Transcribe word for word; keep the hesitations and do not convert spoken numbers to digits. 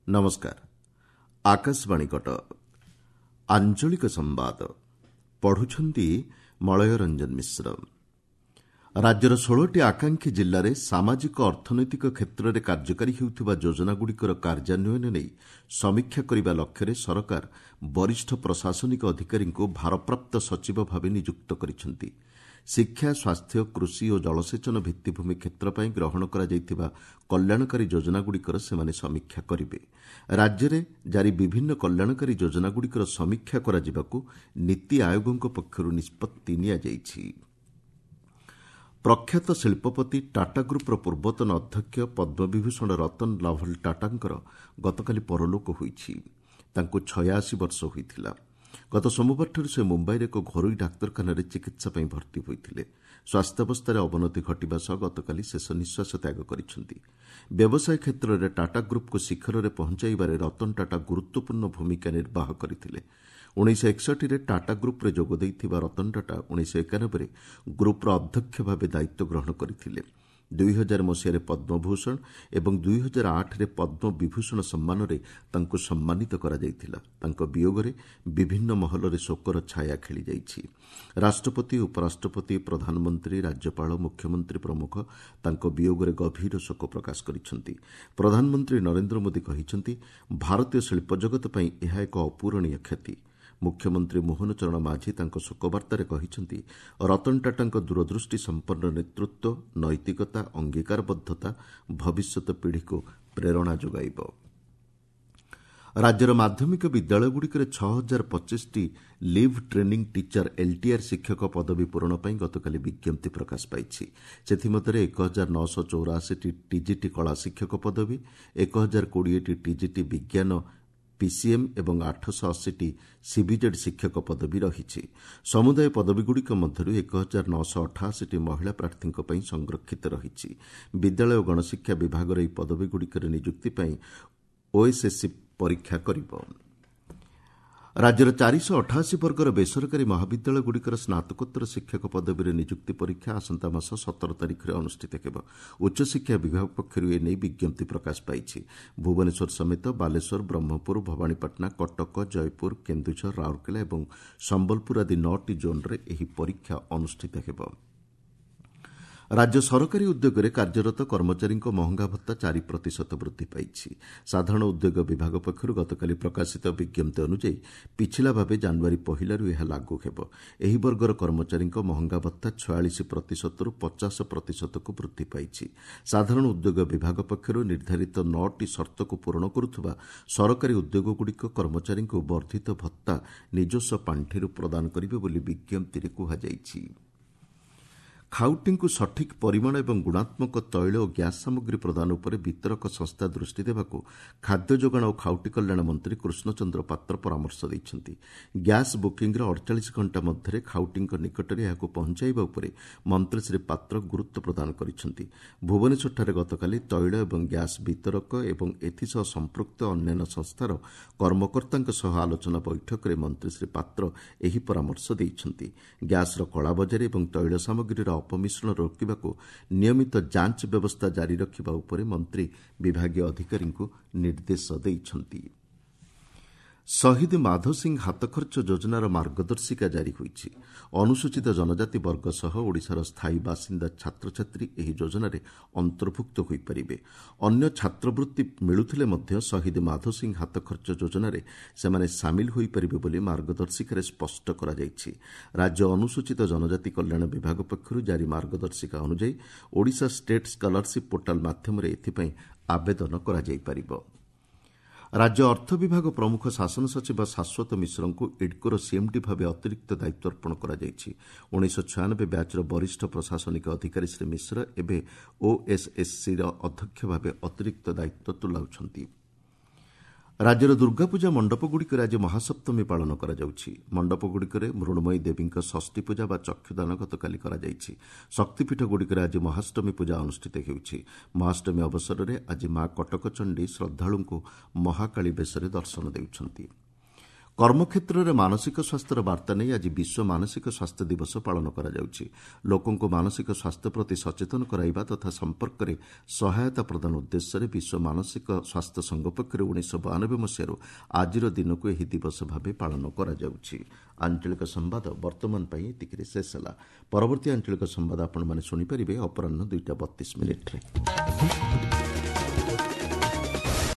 ନମସ୍କାର ଆକାଶବାଣୀ କଟକ ଆଞ୍ଚଳିକ ସମ୍ବାଦ ପଢୁଛନ୍ତି ମଳୟ ରଞ୍ଜନ ମିଶ୍ର ରାଜ୍ୟର ଷୋହଳଟି ଆକାଂକ୍ଷୀ ଜିଲ୍ଲାରେ ସାମାଜିକ ଅର୍ଥନୈତିକ କ୍ଷେତ୍ରରେ କାର୍ଯ୍ୟକାରୀ ହେଉଥିବା ଯୋଜନାଗୁଡ଼ିକର କାର୍ଯ୍ୟାନ୍ୱୟନ ନେଇ ସମୀକ୍ଷା କରିବା ଲକ୍ଷ୍ୟରେ ସରକାର ବରିଷ୍ଠ ପ୍ରଶାସନିକ ଅଧିକାରୀଙ୍କୁ ଭାରପ୍ରାପ୍ତ ସଚିବ ଭାବେ ନିଯୁକ୍ତ କରିଛନ୍ତି ଶିକ୍ଷା ସ୍ୱାସ୍ଥ୍ୟ କୃଷି ଓ ଜଳସେଚନ ଭିତ୍ତିଭୂମି କ୍ଷେତ୍ର ପାଇଁ ଗ୍ରହଣ କରାଯାଇଥିବା କଲ୍ୟାଣକାରୀ ଯୋଜନାଗୁଡ଼ିକର ସେମାନେ ସମୀକ୍ଷା କରିବେ ରାଜ୍ୟରେ ଜାରି ବିଭିନ୍ନ କଲ୍ୟାଣକାରୀ ଯୋଜନାଗୁଡ଼ିକର ସମୀକ୍ଷା କରାଯିବାକୁ ନୀତି ଆୟୋଗଙ୍କ ପକ୍ଷରୁ ନିଷ୍ପତ୍ତି ନିଆଯାଇଛି ପ୍ରଖ୍ୟାତ ଶିଳ୍ପପତି ଟାଟା ଗ୍ରୁପ୍ର ପୂର୍ବତନ ଅଧ୍ୟକ୍ଷ ପଦ୍ମବିଭୂଷଣ ରତନ ଲାଭଲ ଟାଟାଙ୍କର ଗତକାଲି ପରଲୋକ ହୋଇଛି ତାଙ୍କୁ ଛୟାଅଶୀ ବର୍ଷ ହୋଇଥିଲା ଗତ ସୋମବାରଠାରୁ ସେ ମୁମ୍ବାଇର ଏକ ଘରୋଇ ଡାକ୍ତରଖାନାରେ ଚିକିତ୍ସା ପାଇଁ ଭର୍ତ୍ତି ହୋଇଥିଲେ ସ୍ୱାସ୍ଥ୍ୟାବସ୍ଥାରେ ଅବନତି ଘଟିବା ସହ ଗତକାଲି ଶେଷ ନିଃଶ୍ୱାସ ତ୍ୟାଗ କରିଛନ୍ତି ବ୍ୟବସାୟ କ୍ଷେତ୍ରରେ ଟାଟା ଗ୍ରୁପ୍କୁ ଶିଖରରେ ପହଞ୍ଚାଇବାରେ ରତନ ଟାଟା ଗୁରୁତ୍ୱପୂର୍ଣ୍ଣ ଭୂମିକା ନିର୍ବାହ କରିଥିଲେ ଉଣେଇଶହ ଏକଷଠିରେ ଟାଟା ଗ୍ରୁପ୍ରେ ଯୋଗ ଦେଇଥିବା ରତନ ଟାଟା ଉଣେଇଶହ ଏକାନବେରେ ଗ୍ରୁପ୍ର ଅଧ୍ୟକ୍ଷ ଭାବେ ଦାୟିତ୍ୱ ଗ୍ରହଣ କରିଥିଲେ ଦୁଇ ହଜାର ମସିହାରେ ପଦ୍ମଭୂଷଣ ଏବଂ ଦୁଇ ହଜାର ଆଠରେ ପଦ୍ମବିଭୂଷଣ ସମ୍ମାନରେ ତାଙ୍କୁ ସମ୍ମାନିତ କରାଯାଇଥିଲା ତାଙ୍କ ବିୟୋଗରେ ବିଭିନ୍ନ ମହଲରେ ଶୋକର ଛାୟା ଖେଳିଯାଇଛି ରାଷ୍ଟ୍ରପତି ଉପରାଷ୍ଟ୍ରପତି ପ୍ରଧାନମନ୍ତ୍ରୀ ରାଜ୍ୟପାଳ ମୁଖ୍ୟମନ୍ତ୍ରୀ ପ୍ରମୁଖ ତାଙ୍କ ବିୟୋଗରେ ଗଭୀର ଶୋକ ପ୍ରକାଶ କରିଛନ୍ତି ପ୍ରଧାନମନ୍ତ୍ରୀ ନରେନ୍ଦ୍ର ମୋଦି କହିଛନ୍ତି ଭାରତୀୟ ଶିଳ୍ପ ଜଗତ ପାଇଁ ଏହା ଏକ ଅପୂରଣୀୟ କ୍ଷତି ମୁଖ୍ୟମନ୍ତ୍ରୀ ମୋହନ ଚରଣ ମାଝୀ ତାଙ୍କ ଶୋକବାର୍ତ୍ତାରେ କହିଛନ୍ତି ରତନ ଟାଟାଙ୍କ ଦୂରଦୃଷ୍ଟି ସମ୍ପନ୍ନ ନେତୃତ୍ୱ ନୈତିକତା ଅଙ୍ଗୀକାରବଦ୍ଧତା ଭବିଷ୍ୟତ ପିଢ଼ିକୁ ପ୍ରେରଣା ଯୋଗାଇବ ରାଜ୍ୟର ମାଧ୍ୟମିକ ବିଦ୍ୟାଳୟଗୁଡ଼ିକରେ ଛଅ ହଜାର ପଚିଶଟି ଲିଭ୍ ଟ୍ରେନିଂ ଟିଚର ଏଲ୍ଟିଆର୍ ଶିକ୍ଷକ ପଦବୀ ପୂରଣ ପାଇଁ ଗତକାଲି ବିଜ୍ଞପ୍ତି ପ୍ରକାଶ ପାଇଛି ସେଥିମଧ୍ୟରେ ଏକ ହଜାର ନଅଶହ ଚଉରାଅଶୀଟି ଟିଜିଟି କଳା ଶିକ୍ଷକ ପଦବୀ ଏକ ହଜାର କୋଡ଼ିଏଟି ଟିଜିଟି ବିଜ୍ଞାନ ପିସିଏମ୍ ଏବଂ ଆଠଶହ ଅଶୀଟି ସିବିଜେଡ୍ ଶିକ୍ଷକ ପଦବୀ ରହିଛି ସମୁଦାୟ ପଦବୀଗୁଡ଼ିକ ମଧ୍ୟରୁ ଏକ ହଜାର ନଅଶହ ଅଠାଅଶୀଟି ମହିଳା ପ୍ରାର୍ଥୀଙ୍କ ପାଇଁ ସଂରକ୍ଷିତ ରହିଛି ବିଦ୍ୟାଳୟ ଓ ଗଣଶିକ୍ଷା ବିଭାଗର ଏହି ପଦବୀଗୁଡ଼ିକରେ ନିଯୁକ୍ତି ପାଇଁ ଓଏସ୍ଏସ୍ସି ପରୀକ୍ଷା କରିବ ରାଜ୍ୟର ଚାରିଶହ ଅଠାଅଶୀ ବର୍ଗର ବେସରକାରୀ ମହାବିଦ୍ୟାଳୟଗୁଡ଼ିକର ସ୍ନାତକୋତ୍ତର ଶିକ୍ଷକ ପଦବୀରେ ନିଯୁକ୍ତି ପରୀକ୍ଷା ଆସନ୍ତା ମାସ ସତର ତାରିଖରେ ଅନୁଷ୍ଠିତ ହେବ ଉଚ୍ଚଶିକ୍ଷା ବିଭାଗ ପକ୍ଷରୁ ଏ ନେଇ ବିଜ୍ଞପ୍ତି ପ୍ରକାଶ ପାଇଛି ଭୁବନେଶ୍ୱର ସମେତ ବାଲେଶ୍ୱର ବ୍ରହ୍ମପୁର ଭବାନୀପାଟଣା କଟକ ଜୟପୁର କେନ୍ଦୁଝର ରାଉରକେଲା ଏବଂ ସମ୍ବଲପୁର ଆଦି ନଅଟି ଜୋନ୍ରେ ଏହି ପରୀକ୍ଷା ଅନୁଷ୍ଠିତ ହେବ ରାଜ୍ୟ ସରକାରୀ ଉଦ୍ୟୋଗରେ କାର୍ଯ୍ୟରତ କର୍ମଚାରୀଙ୍କ ମହଙ୍ଗା ଭତ୍ତା ଚାରି ପ୍ରତିଶତ ବୃଦ୍ଧି ପାଇଛି ସାଧାରଣ ଉଦ୍ୟୋଗ ବିଭାଗ ପକ୍ଷରୁ ଗତକାଲି ପ୍ରକାଶିତ ବିଜ୍ଞପ୍ତି ଅନୁଯାୟୀ ପିଛିଲା ଭାବେ ଜାନୁଆରୀ ପହିଲାରୁ ଏହା ଲାଗୁ ହେବ ଏହି ବର୍ଗର କର୍ମଚାରୀଙ୍କ ମହଙ୍ଗା ଭତ୍ତା ଛୟାଳିଶ ପ୍ରତିଶତରୁ ପଚାଶ ପ୍ରତିଶତକୁ ବୃଦ୍ଧି ପାଇଛି ସାଧାରଣ ଉଦ୍ୟୋଗ ବିଭାଗ ପକ୍ଷରୁ ନିର୍ଦ୍ଧାରିତ ନଅଟି ସର୍ତ୍ତକୁ ପୂରଣ କରୁଥିବା ସରକାରୀ ଉଦ୍ୟୋଗଗୁଡ଼ିକ କର୍ମଚାରୀଙ୍କୁ ବର୍ଦ୍ଧିତ ଭତ୍ତା ନିଜସ୍ୱ ପାଣ୍ଠିରୁ ପ୍ରଦାନ କରିବେ ବୋଲି ବିଜ୍ଞପ୍ତିରେ କୁହାଯାଇଛି ଖାଉଟିଙ୍କୁ ସଠିକ୍ ପରିମାଣ ଏବଂ ଗୁଣାତ୍ମକ ତୈଳ ଓ ଗ୍ୟାସ୍ ସାମଗ୍ରୀ ପ୍ରଦାନ ଉପରେ ବିତରକ ସଂସ୍ଥା ଦୃଷ୍ଟି ଦେବାକୁ ଖାଦ୍ୟ ଯୋଗାଣ ଓ ଖାଉଟି କଲ୍ୟାଣ ମନ୍ତ୍ରୀ କୃଷ୍ଣଚନ୍ଦ୍ର ପାତ୍ର ପରାମର୍ଶ ଦେଇଛନ୍ତି ଗ୍ୟାସ୍ ବୁକିଂର ଅଡ଼ଚାଳିଶ ଘଣ୍ଟା ମଧ୍ୟରେ ଖାଉଟିଙ୍କ ନିକଟରେ ଏହାକୁ ପହଞ୍ଚାଇବା ଉପରେ ମନ୍ତ୍ରୀ ଶ୍ରୀ ପାତ୍ର ଗୁରୁତ୍ୱ ପ୍ରଦାନ କରିଛନ୍ତି ଭୁବନେଶ୍ୱରଠାରେ ଗତକାଲି ତୈଳ ଏବଂ ଗ୍ୟାସ୍ ବିତରକ ଏବଂ ଏଥିସହ ସମ୍ପୃକ୍ତ ଅନ୍ୟାନ୍ୟ ସଂସ୍ଥାର କର୍ମକର୍ତ୍ତାଙ୍କ ସହ ଆଲୋଚନା ବୈଠକରେ ମନ୍ତ୍ରୀ ଶ୍ରୀ ପାତ୍ର ଏହି ପରାମର୍ଶ ଦେଇଛନ୍ତି ଗ୍ୟାସ୍ର କଳାବଜାରୀ ଏବଂ ତୈଳ ସାମଗ୍ରୀର ଅପମିଶ୍ରଣ ରୋକିବାକୁ ନିୟମିତ ଯାଞ୍ଚ ବ୍ୟବସ୍ଥା ଜାରି ରଖିବା ଉପରେ ମନ୍ତ୍ରୀ ବିଭାଗୀୟ ଅଧିକାରୀଙ୍କୁ ନିର୍ଦ୍ଦେଶ ଦେଇଛନ୍ତି ଶହୀଦ ମାଧୋ ସିଂ ହାତଖର୍ଚ୍ଚ ଯୋଜନାର ମାର୍ଗଦର୍ଶିକା ଜାରି ହୋଇଛି ଅନୁସୂଚିତ ଜନଜାତି ବର୍ଗ ସହ ଓଡ଼ିଶାର ସ୍ଥାୟୀ ବାସିନ୍ଦା ଛାତ୍ରଛାତ୍ରୀ ଏହି ଯୋଜନାରେ ଅନ୍ତର୍ଭୁକ୍ତ ହୋଇପାରିବେ ଅନ୍ୟ ଛାତ୍ରବୃତ୍ତି ମିଳୁଥିଲେ ମଧ୍ୟ ଶହୀଦ ମାଧୋ ସିଂ ହାତଖର୍ଚ୍ଚ ଯୋଜନାରେ ସେମାନେ ସାମିଲ ହୋଇପାରିବେ ବୋଲି ମାର୍ଗଦର୍ଶିକାରେ ସ୍ପଷ୍ଟ କରାଯାଇଛି ରାଜ୍ୟ ଅନୁସୂଚିତ ଜନଜାତି କଲ୍ୟାଣ ବିଭାଗ ପକ୍ଷରୁ ଜାରି ମାର୍ଗଦର୍ଶିକା ଅନୁଯାୟୀ ଓଡ଼ିଶା ଷ୍ଟେଟ୍ ସ୍କଲାରସିପ୍ ପୋର୍ଟାଲ ମାଧ୍ୟମରେ ଏଥିପାଇଁ ଆବେଦନ କରାଯାଇପାରିବ ରାଜ୍ୟ ଅର୍ଥ ବିଭାଗ ପ୍ରମୁଖ ଶାସନ ସଚିବ ଶାଶ୍ୱତ ମିଶ୍ରଙ୍କୁ ଇଡ୍କୋର ସିଏମ୍ଡି ଭାବେ ଅତିରିକ୍ତ ଦାୟିତ୍ୱ ଅର୍ପଣ କରାଯାଇଛି ଉଣେଇଶହ ଛୟାନବେ ବ୍ୟାଚ୍ର ବରିଷ୍ଠ ପ୍ରଶାସନିକ ଅଧିକାରୀ ଶ୍ରୀ ମିଶ୍ର ଏବେ ଓଏସ୍ଏସ୍ସିର ଅଧ୍ୟକ୍ଷ ଭାବେ ଅତିରିକ୍ତ ଦାୟିତ୍ୱ ତୁଲାଉଛନ୍ତି ରାଜ୍ୟର ଦୁର୍ଗାପୂଜା ମଣ୍ଡପଗୁଡ଼ିକରେ ଆଜି ମହାସପ୍ତମୀ ପାଳନ କରାଯାଉଛି ମଣ୍ଡପଗୁଡ଼ିକରେ ମୃଣ୍ମୟୀ ଦେବୀଙ୍କ ଷଷ୍ଠୀ ପୂଜା ବା ଚକ୍ଷୁଦାନ ଗତକାଲି କରାଯାଇଛି ଶକ୍ତିପୀଠଗୁଡ଼ିକରେ ଆଜି ମହାଷ୍ଟମୀ ପୂଜା ଅନୁଷ୍ଠିତ ହେଉଛି ମହାଷ୍ଟମୀ ଅବସରରେ ଆଜି ମା କଟକଚଣ୍ଡୀ ଶ୍ରଦ୍ଧାଳୁଙ୍କୁ ମହାକାଳୀ ବେଶରେ ଦର୍ଶନ ଦେଉଛନ୍ତି କର୍ମକ୍ଷେତ୍ରରେ ମାନସିକ ସ୍ୱାସ୍ଥ୍ୟର ବାର୍ତ୍ତା ନେଇ ଆଜି ବିଶ୍ୱ ମାନସିକ ସ୍ୱାସ୍ଥ୍ୟ ଦିବସ ପାଳନ କରାଯାଉଛି। ଲୋକଙ୍କୁ ମାନସିକ ସ୍ୱାସ୍ଥ୍ୟ ପ୍ରତି ସଚେତନ କରାଇବା ତଥା ସମ୍ପର୍କରେ ସହାୟତା ପ୍ରଦାନ ଉଦ୍ଦେଶ୍ୟରେ ବିଶ୍ୱ ମାନସିକ ସ୍ୱାସ୍ଥ୍ୟ ସଂଘ ପକ୍ଷରୁ ଉଣେଇଶହ ବୟାନବେ ମସିହାରୁ ଆଜିର ଦିନକୁ ଏହି ଦିବସ ଭାବେ ପାଳନ କରାଯାଉଛି। ଆଞ୍ଚଳିକ ସମ୍ବାଦ ବର୍ତ୍ତମାନ ପାଇଁ ଏତିକିରେ ଶେଷ ହେଲା। ପରବର୍ତ୍ତୀ ଆଞ୍ଚଳିକ ସମ୍ବାଦ ଆପଣମାନେ ଶୁଣିପାରିବେ ଅପରାହ୍ନ ଦୁଇଟା ବତିଶ ମିନିଟ୍ରେ।